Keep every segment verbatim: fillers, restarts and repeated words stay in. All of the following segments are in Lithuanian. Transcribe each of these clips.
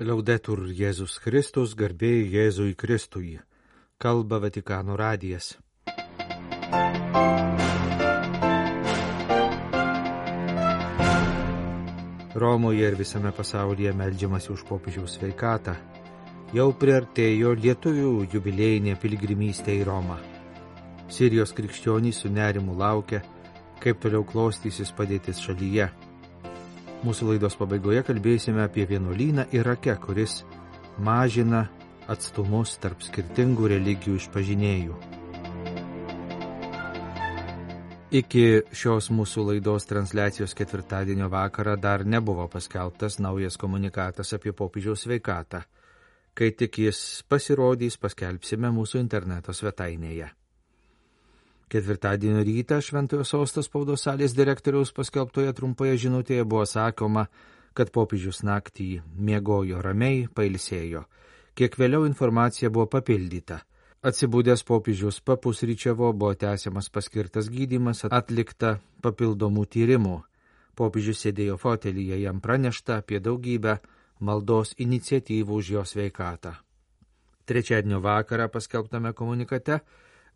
Liaudetur Jėzus Kristus, garbė Jėzui Kristui. Kalba Vatikano radijas. Romoje ir visame pasaulyje meldžiamasi už popiežiaus sveikatą. Jau priartėjo lietuvių jubiliejinė piligrimystė į Romą. Sirijos krikščionys su nerimu laukia, kaip toliau klostysis padėtis šalyje. Mūsų laidos pabaigoje kalbėsime apie vienuolyną Irake, kuris mažina atstumus tarp skirtingų religijų išpažinėjų. Iki šios mūsų laidos transliacijos ketvirtadienio vakarą dar nebuvo paskelbtas naujas komunikatas apie popiežiaus sveikatą. Kai tik jis pasirodys, paskelbsime mūsų interneto svetainėje. Ketvirtadienio rytą Šventojo Sosto spaudos salės direktoriaus paskelbtoje trumpoje žinutėje buvo sakoma, kad popiežius naktį miegojo ramiai, pailsėjo. Kiek vėliau informacija buvo papildyta. Atsibudęs popiežius papusryčiavo, buvo tęsiamas paskirtas gydymas, atlikta papildomų tyrimų. Popiežius sėdėjo fotelyje, jam pranešta apie daugybę maldos iniciatyvų už jo sveikatą. Trečiadienio vakarą paskelbtame komunikate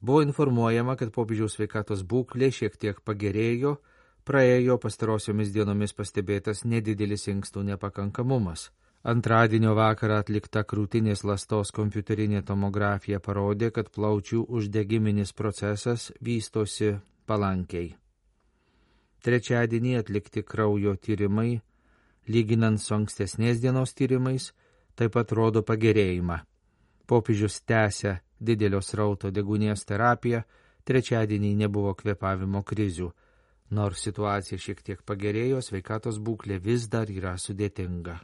buvo informuojama, kad popiežiaus sveikatos būklė šiek tiek pagerėjo, praėjo pastarosiomis dienomis pastebėtas nedidelis inkstų nepakankamumas. Antradienio vakarą atlikta krūtinės ląstos kompiuterinė tomografija parodė, kad plaučių uždegiminis procesas vystosi palankiai. Trečiadienį atlikti kraujo tyrimai, lyginant su ankstesnės dienos tyrimais, taip pat rodo pagerėjimą. Popiežius tęsia didelio srauto deguonies terapiją, trečiadienį nebuvo kvėpavimo krizių. Nors situacija šiek tiek pagerėjo, sveikatos būklė vis dar yra sudėtinga.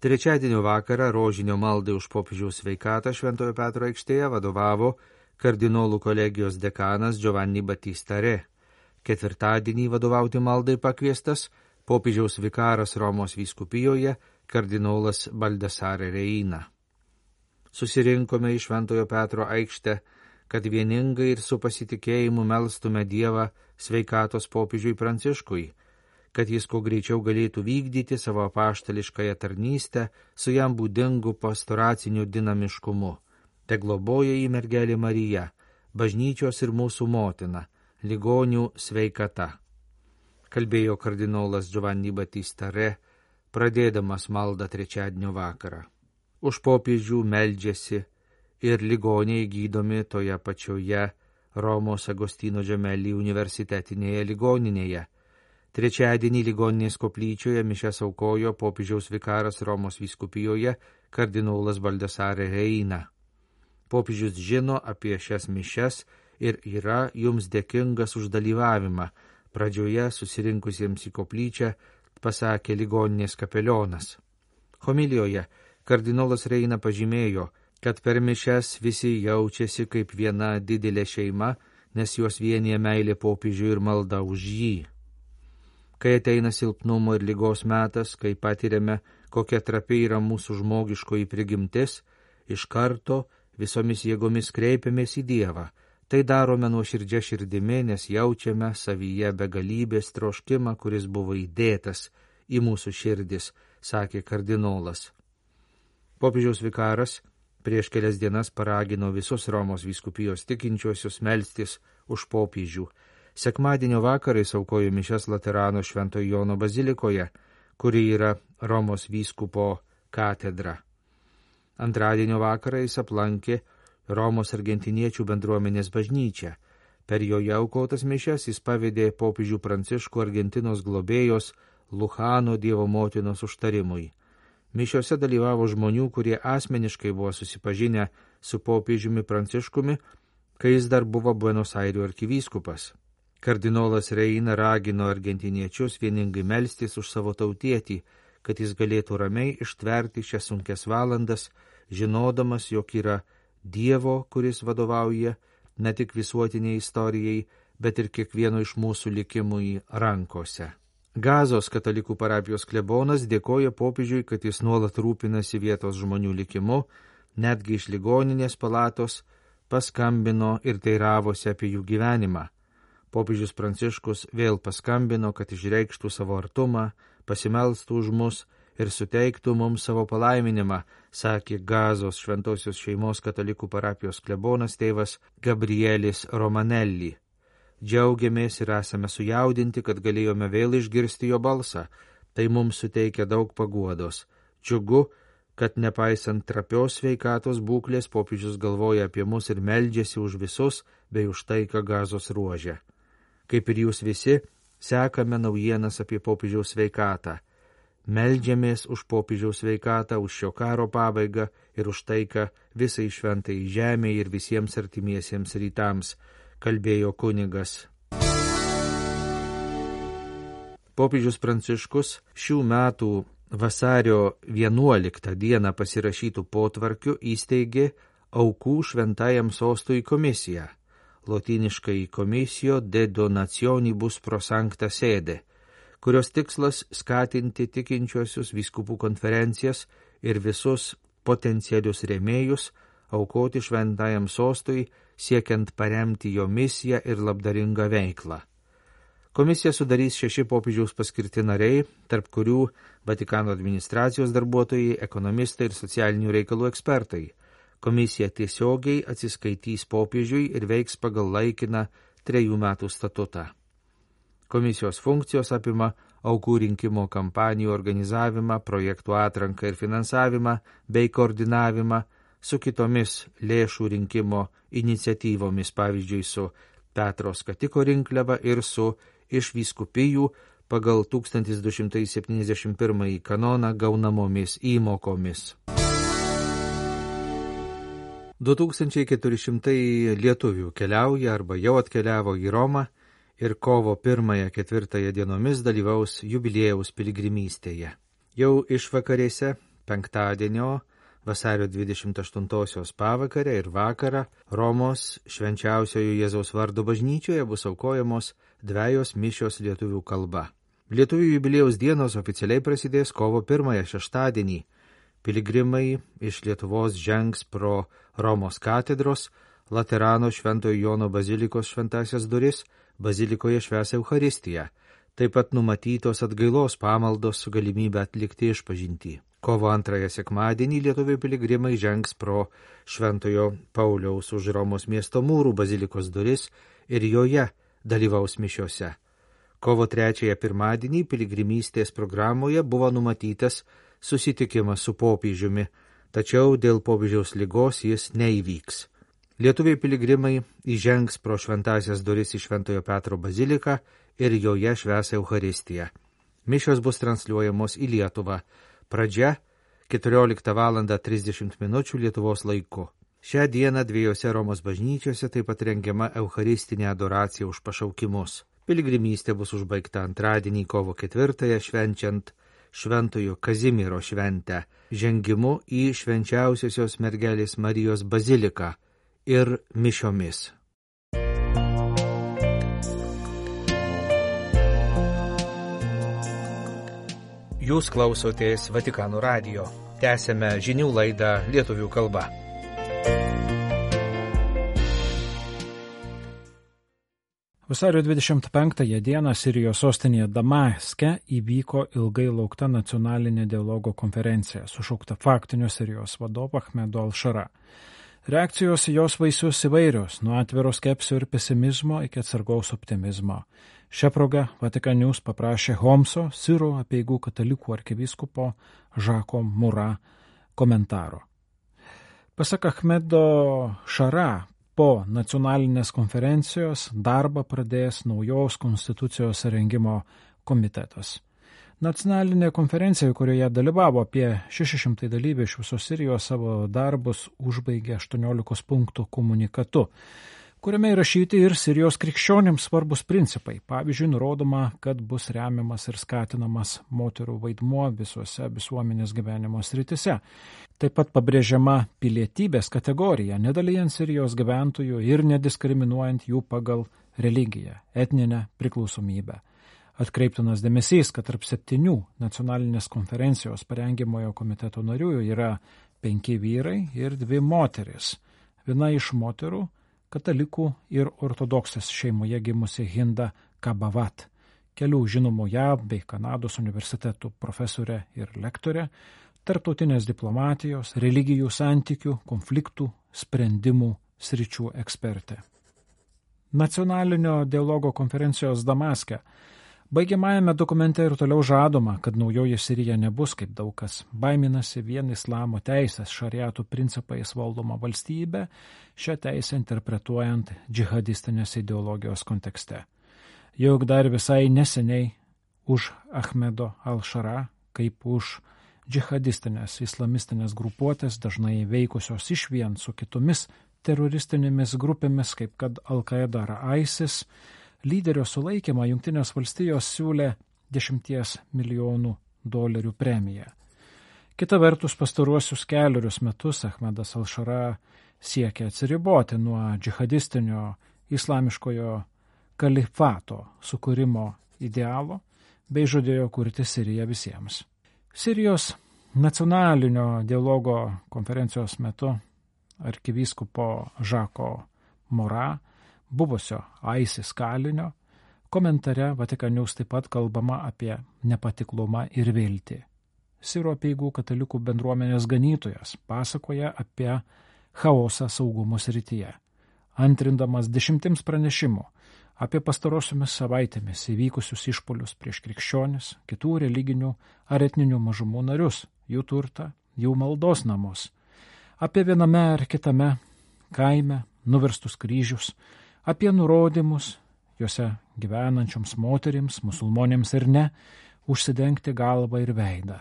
Trečiadienio vakarą rožinio maldai už popiežiaus sveikatą Šventojo Petro aikštėje vadovavo kardinolų kolegijos dekanas Giovanni Battista Re. Ketvirtadienį vadovauti maldai pakviestas popiežiaus vikaras Romos vyskupijoje kardinolas Baldassare Reina. Susirinkome į Šventojo Petro aikštę, kad vieningai ir su pasitikėjimu melstume Dievą sveikatos popiežiui Pranciškui, kad jis kuo greičiau galėtų vykdyti savo apaštališkąją tarnystę su jam būdingu pastoraciniu dinamiškumu. Te globoja į mergelė Marija, bažnyčios ir mūsų motina, ligonių sveikata. Kalbėjo kardinolas Giovanni Battista Re, pradėdamas maldą trečiadienio vakarą. Už popiežių meldžiasi ir ligoniai gydomi toje pačioje Romos Agostino Gemelli universitetinėje ligoninėje. Trečiadienį ligoninės koplyčioje mišias aukojo popiežiaus vikaras Romos vyskupijoje kardinolas Baldassare Reina. Popiežius žino apie šias mišias ir yra jums dėkingas už dalyvavimą. Pradžioje susirinkusiems į koplyčią pasakė ligoninės kapelionas. Homilijoje kardinolas Reina pažymėjo, kad per mišias visi jaučiasi kaip viena didelė šeima, nes juos vienija meilė popiežiui ir malda už jį. Kai ateina silpnumo ir ligos metas, kai patiriame, kokia trapi yra mūsų žmogiškoji prigimtis, iš karto visomis jėgomis kreipiamės į Dievą. Tai darome nuoširdžia širdimi, nes jaučiame savyje begalybės troškimą, kuris buvo įdėtas į mūsų širdis, sakė kardinolas. Popiežiaus vikaras prieš kelias dienas paragino visus Romos vyskupijos tikinčiuosius melstis už popiežių. Sekmadienio vakarais aukojo mišias Laterano Šventojo Jono bazilikoje, kuri yra Romos vyskupo katedra. Antradienio vakarą jis aplankė Romos argentiniečių bendruomenės bažnyčią. Per joje aukotas mišias jis pavedė popiežių Pranciškų Argentinos globėjos Luchano Dievo motinos užtarimui. Mišiose dalyvavo žmonių, kurie asmeniškai buvo susipažinę su popiežiumi Pranciškumi, kai jis dar buvo Buenos Airių arkivyskupas. Kardinolas Reina ragino argentiniečius vieningai melstis už savo tautietį, kad jis galėtų ramiai ištverti šias sunkias valandas, žinodamas, jog yra Dievo, kuris vadovauja ne tik visuotiniai istorijai, bet ir kiekvieno iš mūsų likimui rankose. Gazos katalikų parapijos klebonas dėkoja popiežiui, kad jis nuolat rūpinasi vietos žmonių likimu, netgi iš ligoninės palatos paskambino ir teiravosi apie jų gyvenimą. Popiežius Pranciškus vėl paskambino, kad išreikštų savo artumą, pasimelstų už mus ir suteiktų mums savo palaiminimą, sakė Gazos šventosios šeimos katalikų parapijos klebonas tėvas Gabrielis Romanelli. Džiaugiamės ir esame sujaudinti, kad galėjome vėl išgirsti jo balsą. Tai mums suteikia daug paguodos. Džiugu, kad nepaisant trapios sveikatos būklės, popiežius galvoja apie mus ir meldžiasi už visus bei už taiką Gazos ruože. Kaip ir jūs visi, sekame naujienas apie popiežiaus sveikatą. Meldžiamės už popiežiaus sveikatą, už šio karo pabaigą ir už taiką visai šventai žemei ir visiems artimiesiems rytams, kalbėjo kunigas. Popiežius Pranciškus šių metų vasario vienuoliktą dieną pasirašytų potvarkių įsteigė aukų šventajam sostui komisiją, lotyniškai Comissio de Donationibus pro Sancta Sede, kurios tikslas skatinti tikinčiuosius vyskupų konferencijas ir visus potencialius rėmėjus aukoti šventajam sostui, siekiant paremti jo misiją ir labdaringą veiklą. Komisiją sudarys šeši popiežiaus paskirti nariai, tarp kurių Vatikano administracijos darbuotojai, ekonomistai ir socialinių reikalų ekspertai. Komisija tiesiogiai atsiskaitys popiežiui ir veiks pagal laikiną trejų metų statutą. Komisijos funkcijos apima aukų rinkimo kampanijų organizavimą, projektų atranką ir finansavimą bei koordinavimą su kitomis lėšų rinkimo iniciatyvomis, pavyzdžiui, su Petro skatiko rinkliava ir su iš vyskupijų pagal tūkstantis du šimtai septyniasdešimt pirmąjį kanoną gaunamomis įmokomis. du tūkstančiai keturi šimtai lietuvių keliauja arba jau atkeliavo į Romą ir kovo pirmąją ketvirtąją dienomis dalyvaus jubiliejaus piligrimystėje. Jau išvakarėse penktadienio vasario dvidešimt aštuntosios pavakarę ir vakarą Romos švenčiausiojo Jėzaus vardo bažnyčioje bus aukojamos dvejos mišios lietuvių kalba. Lietuvių jubiliejaus dienos oficialiai prasidės kovo pirmąją šeštadienį. Piligrimai iš Lietuvos žengs pro Romos katedros, Laterano Šventojo Jono bazilikos šventasias duris, bazilikoje švęs Eucharistiją. Taip pat numatytos atgailos pamaldos su galimybė atlikti išpažintį. Kovo antrąją sekmadienį lietuvių piligrimai žengs pro Šventojo Pauliaus už Romos miesto mūrų bazilikos duris ir joje dalyvaus mišiose. Kovo trečiąją pirmadienį piligrimystės programoje buvo numatytas susitikimas su popiežiumi, tačiau dėl popiežiaus ligos jis neįvyks. Lietuviai piligrimai įžengs pro šventasias duris į Šventojo Petro baziliką ir joje švęs Eucharistiją. Mišios bus transliuojamos į Lietuvą. Pradžia keturioliktą valandą trisdešimt minučių Lietuvos laiku. Šią dieną dviejose Romos bažnyčiose taip pat rengiama Eucharistinė adoracija už pašaukimus. Piligrimystė bus užbaigta antradienį kovo ketvirtąją švenčiant Šventojo Kazimiero šventę, žengimu į švenčiausiosios mergelės Marijos baziliką ir mišiomis. Jūs klausotės Vatikano radijo. Tęsėme žinių laidą lietuvių kalba. Vasario dvidešimt penktąją dieną Sirijos sostinėje Damaske įvyko ilgai laukta nacionalinė dialogo konferencija, sušaukta faktinio Sirijos vadovo Ahmedo al-Šara. Reakcijos jos vaisius įvairios, nuo atviro skepsio ir pesimizmo iki atsargaus optimizmo. Šią progą Vatikan News paprašė Homso, Sirų apeigų katalikų arkivyskupo Žako Mura komentaro. Pasak Ahmedo Šara, po nacionalinės konferencijos darbą pradės naujos konstitucijos rengimo komitetas. Nacionalinė konferencija, kurioje dalyvavo apie šeši šimtai dalyvių iš visos Sirijos, savo darbus užbaigė aštuoniolikos punktų komunikatu, kuriame įrašyti ir Sirijos krikščionims svarbus principai. Pavyzdžiui, nurodoma, kad bus remiamas ir skatinamas moterų vaidmuo visuose visuomenės gyvenimo srityse. Taip pat pabrėžiama pilietybės kategorija, nedalijant Sirijos gyventojų ir nediskriminuojant jų pagal religiją, etninę priklausomybę. Atkreiptinas dėmesys, kad tarp septynių nacionalinės konferencijos parengimojo komiteto narių yra penki vyrai ir dvi moteris. Viena iš moterų katalikų ir ortodoksės šeimoje gimusi Hinda Kabavat, kelių žinomų J A V bei Kanados universitetų profesorė ir lektorė, tarptautinės diplomatijos, religijų santykių, konfliktų, sprendimų sričių ekspertė. Nacionalinio dialogo konferencijos Damaske baigiamajame dokumente ir toliau žadoma, kad naujoji Sirija nebus, kaip daug kas baiminasi, vien islamo teisės šariatų principais valdoma valstybė, šią teisę interpretuojant džihadistinės ideologijos kontekste. Juk dar visai neseniai už Ahmedo al-Šara, kaip už džihadistinės islamistinės grupuotės, dažnai veikusios išvien su kitomis teroristinėmis grupėmis, kaip kad Al-Qaeda ar ISIS, lyderio sulaikymą Jungtinės valstijos siūlė dešimties milijonų dolerių premiją. Kita vertus, pastaruosius keliurius metus Ahmedas al-Šara siekia atsiriboti nuo džihadistinio islamiškojo kalifato sukūrimo idealo bei žadėjo kurti Siriją visiems. Sirijos nacionalinio dialogo konferencijos metu arkivyskupo Žako Mora, buvusio ISIS kalinio, komentare Vatikanus taip pat kalbama apie nepatiklumą ir viltį. Sirų apeigų katalikų bendruomenės ganytojas pasakoja apie chaosą saugumo srityje, antrindamas dešimtims pranešimų apie pastarosiomis savaitėmis įvykusius išpuolius prieš krikščionis, kitų religinių ar etninių mažumų narius, jų turtą, jų maldos namus, apie viename ar kitame kaime nuverstus kryžius, apie nurodymus juose gyvenančioms moterims, musulmonėms ir ne, užsidengti galvą ir veidą,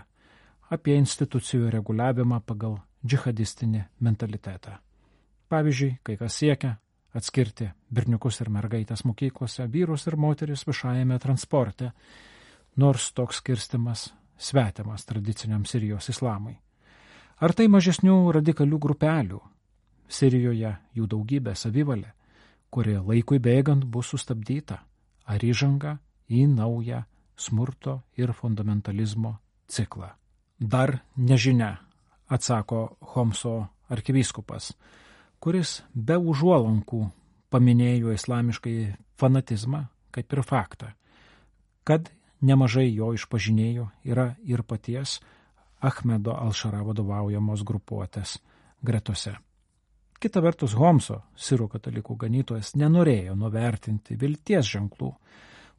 apie institucijų reguliavimą pagal džihadistinį mentalitetą. Pavyzdžiui, kai kas siekia atskirti berniukus ir mergaitės mokyklose, vyrus ir moteris viešajame transporte, nors toks skirstimas svetimas tradiciniam Sirijos islamui. Ar tai mažesnių radikalių grupelių? Sirijoje jų daugybė savivalė, kuri laikui bėgant bus sustabdyta, ar įžanga į naują smurto ir fundamentalizmo ciklą. Dar nežinia, atsako Homso arkivyskupas, kuris be užuolankų paminėjo islamiškai fanatizmą kaip ir faktą, kad nemažai jo išpažinėjų yra ir paties Ahmedo al-Šara vadovaujamos grupuotės gretose. Kita vertus, Homso, sirų katalikų ganytojas, nenorėjo nuvertinti vilties ženklų,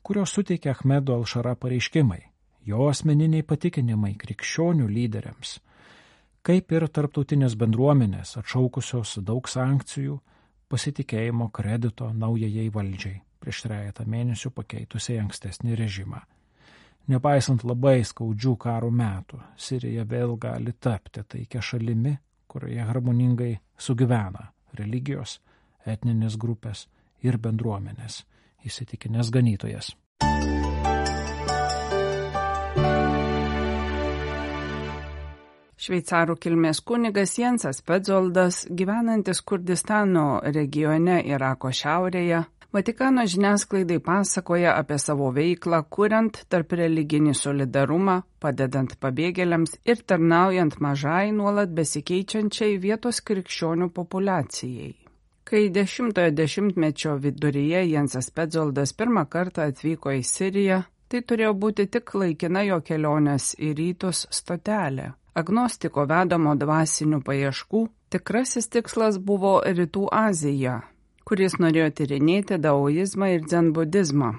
kurios suteikia Ahmedo al-Šara pareiškimai, jo asmeniniai patikinimai krikščionių lyderiams, kaip ir tarptautinės bendruomenės atšaukusios daug sankcijų pasitikėjimo kredito naujajai valdžiai prieš trejetą mėnesių pakeitusiai ankstesnį režimą. Nepaisant labai skaudžių karo metų, Sirija vėl gali tapti taikia šalimi, kurioje harmoningai sugyvena religijos, etninės grupės ir bendruomenės, įsitikinęs ganytojas. Šveicarų kilmės kunigas Jensas Petzoldas, gyvenantis Kurdistano regione Irako šiaurėje, Vatikano žiniasklaidai pasakoja apie savo veiklą, kuriant tarp religinį solidarumą, padedant pabėgėliams ir tarnaujant mažai nuolat besikeičiančiai vietos krikščionių populiacijai. Kai dešimtojo dešimtmečio viduryje Jensas Petzoldas pirmą kartą atvyko į Siriją, tai turėjo būti tik laikina jo kelionės į rytus stotelė. Agnostiko vedamo dvasinių paieškų tikrasis tikslas buvo Rytų Azija, kuris norėjo tyrinėti daoizmą ir dzenbudizmą.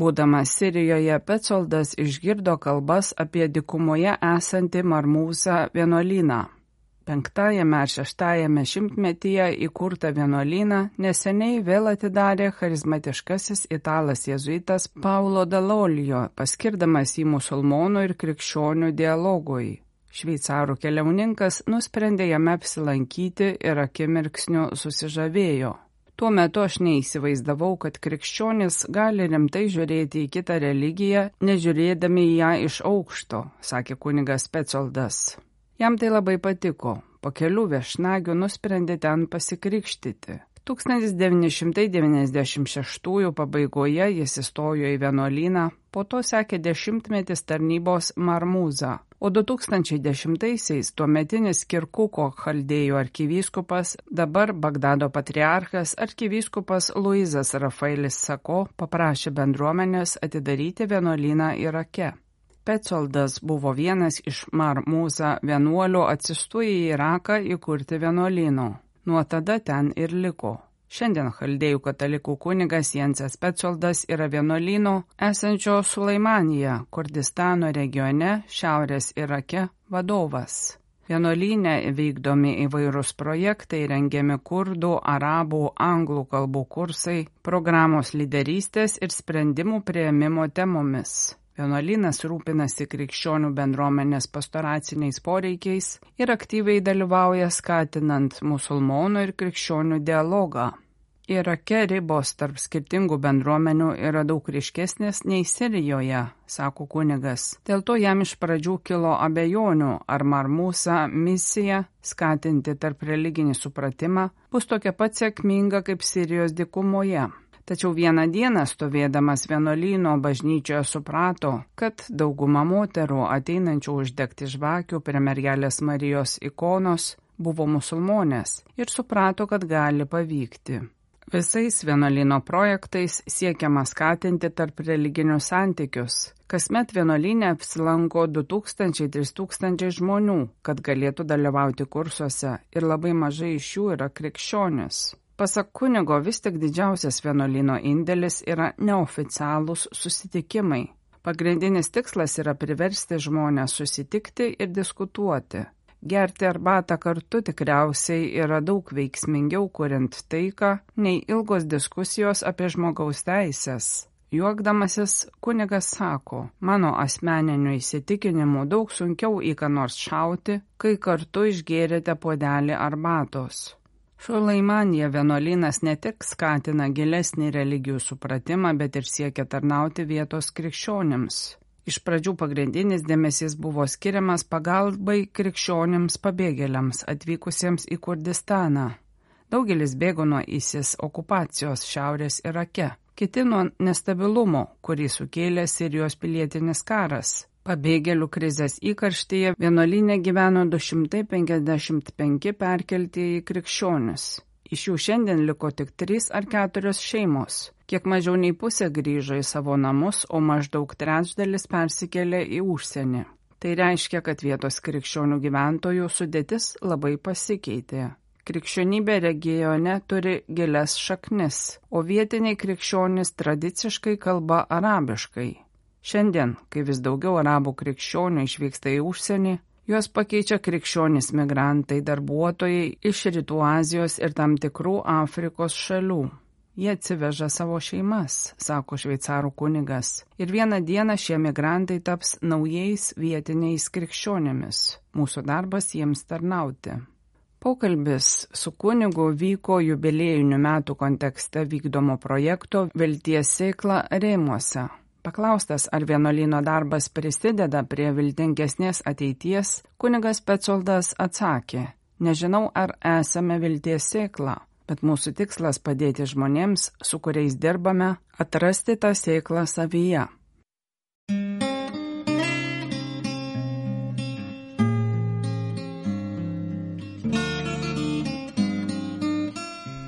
Būdamas Sirijoje, Petzoldas išgirdo kalbas apie dykumoje esantį Marmūzą vienuolyną. Penktajame ar šeštajame šimtmetyje įkurtą vienuolyną neseniai vėl atidarė charizmatiškasis italas jėzuitas Paulo Dall'Olio, paskirdamas jį musulmonų ir krikščionių dialogui. Šveicarų keliauninkas nusprendė jame apsilankyti ir akimirksniu susižavėjo. Tuo metu aš neįsivaizdavau, kad krikščionys gali rimtai žiūrėti į kitą religiją, nežiūrėdami į ją iš aukšto, sakė kunigas Petzoldas. Jam tai labai patiko. Po kelių viešnagių nusprendė ten pasikrikštyti. tūkstantis devyni šimtai devyniasdešimt šeštųjų pabaigoje jis įstojo į vienuolyną, po to sekė dešimtmetis tarnybos Marmūza, o du tūkstančiai dešimtaisiais tuometinis Kirkuko chaldėjų arkivyskupas, dabar Bagdado patriarchas arkivyskupas Luizas Rafaelis Sako paprašė bendruomenės atidaryti vienuolyną Irake. Petsoldas buvo vienas iš Marmuza vienuolių atsistų į Iraką įkurti vienuolyno. Nuo tada ten ir liko. Šiandien chaldėjų katalikų kunigas Jensas Petsoldas yra vienuolyno esančio Sulaimanija, Kurdistano regione, šiaurės Irake vadovas. Vienuolyne vykdomi įvairūs projektai, rengiami kurdų, arabų, anglų kalbų kursai, programos lyderystės ir sprendimų priėmimo temomis. Vienuolynas rūpinasi krikščionių bendruomenės pastoraciniais poreikiais ir aktyviai dalyvauja skatinant musulmonų ir krikščionių dialogą. Irake ribos tarp skirtingų bendruomenių yra daug ryškesnės nei Sirijoje, sako kunigas. Dėl to jam iš pradžių kilo abejonių, ar Marmusa misija skatinti tarp religinį supratimą bus tokia pat sėkminga kaip Sirijos dykumoje. Tačiau vieną dieną stovėdamas vienuolyno bažnyčioje suprato, kad dauguma moterų ateinančių uždegti žvakių prie mergelės Marijos ikonos buvo musulmonės ir suprato, kad gali pavykti. Visais vienuolyno projektais siekiama skatinti tarp religinius santykius. Kasmet vienuolyne apsilanko du tūkstančiai - trys tūkstančiai žmonių, kad galėtų dalyvauti kursuose, ir labai mažai iš jų yra krikščionis. Pasak kunigo, vis tik didžiausias vienuolyno indėlis yra neoficialūs susitikimai. Pagrindinis tikslas yra priversti žmonės susitikti ir diskutuoti. Gerti arbatą kartu tikriausiai yra daug veiksmingiau kuriant taiką, nei ilgos diskusijos apie žmogaus teisės. Juokdamasis, kunigas sako, mano asmeniniu įsitikinimu daug sunkiau į ką nors šauti, kai kartu išgėrėte puodelį arbatos. Sulaimanija vienuolynas ne tik skatina gilesnį religijų supratimą, bet ir siekia tarnauti vietos krikščionims. Iš pradžių pagrindinis dėmesys buvo skiriamas pagalbai krikščionims pabėgėliams atvykusiems į Kurdistaną. Daugelis bėgo nuo ISIS okupacijos šiaurės Irake, kiti nuo nestabilumo, kurį sukėlė Sirijos pilietinis karas. Pabėgėlių krizės įkarštyje vienuolyne gyveno du šimtai penkiasdešimt penki perkeltieji krikščionis. Iš jų šiandien liko tik trys ar keturios šeimos. Kiek mažiau nei pusė grįžo į savo namus, o maždaug trečdalis persikėlė į užsienį. Tai reiškia, kad vietos krikščionių gyventojų sudėtis labai pasikeitė. Krikščionybė regione turi gilias šaknis, o vietiniai krikščionys tradiciškai kalba arabiškai. Šiandien, kai vis daugiau arabų krikščionių išvyksta į užsienį, juos pakeičia krikščionys migrantai, darbuotojai iš Rytų Azijos ir tam tikrų Afrikos šalių. Jie atsiveža savo šeimas, sako šveicarų kunigas, ir vieną dieną šie migrantai taps naujais vietiniais krikščionėmis. Mūsų darbas jiems tarnauti. Pokalbis su kunigu vyko jubiliejinių metų kontekste vykdomo projekto Vilties sėkla rėmuose. Paklaustas, ar vienuolyno darbas prisideda prie viltingesnės ateities, kunigas Petsoldas atsakė, nežinau, ar esame vilties sėkla, bet mūsų tikslas padėti žmonėms, su kuriais dirbame, atrasti tą sėklą savyje.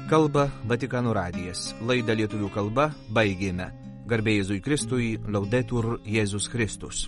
Kalba Vatikano radijas. Laidą lietuvių kalba baigėme. Garbė Jėzui Kristui, Laudetur Jėzus Kristus.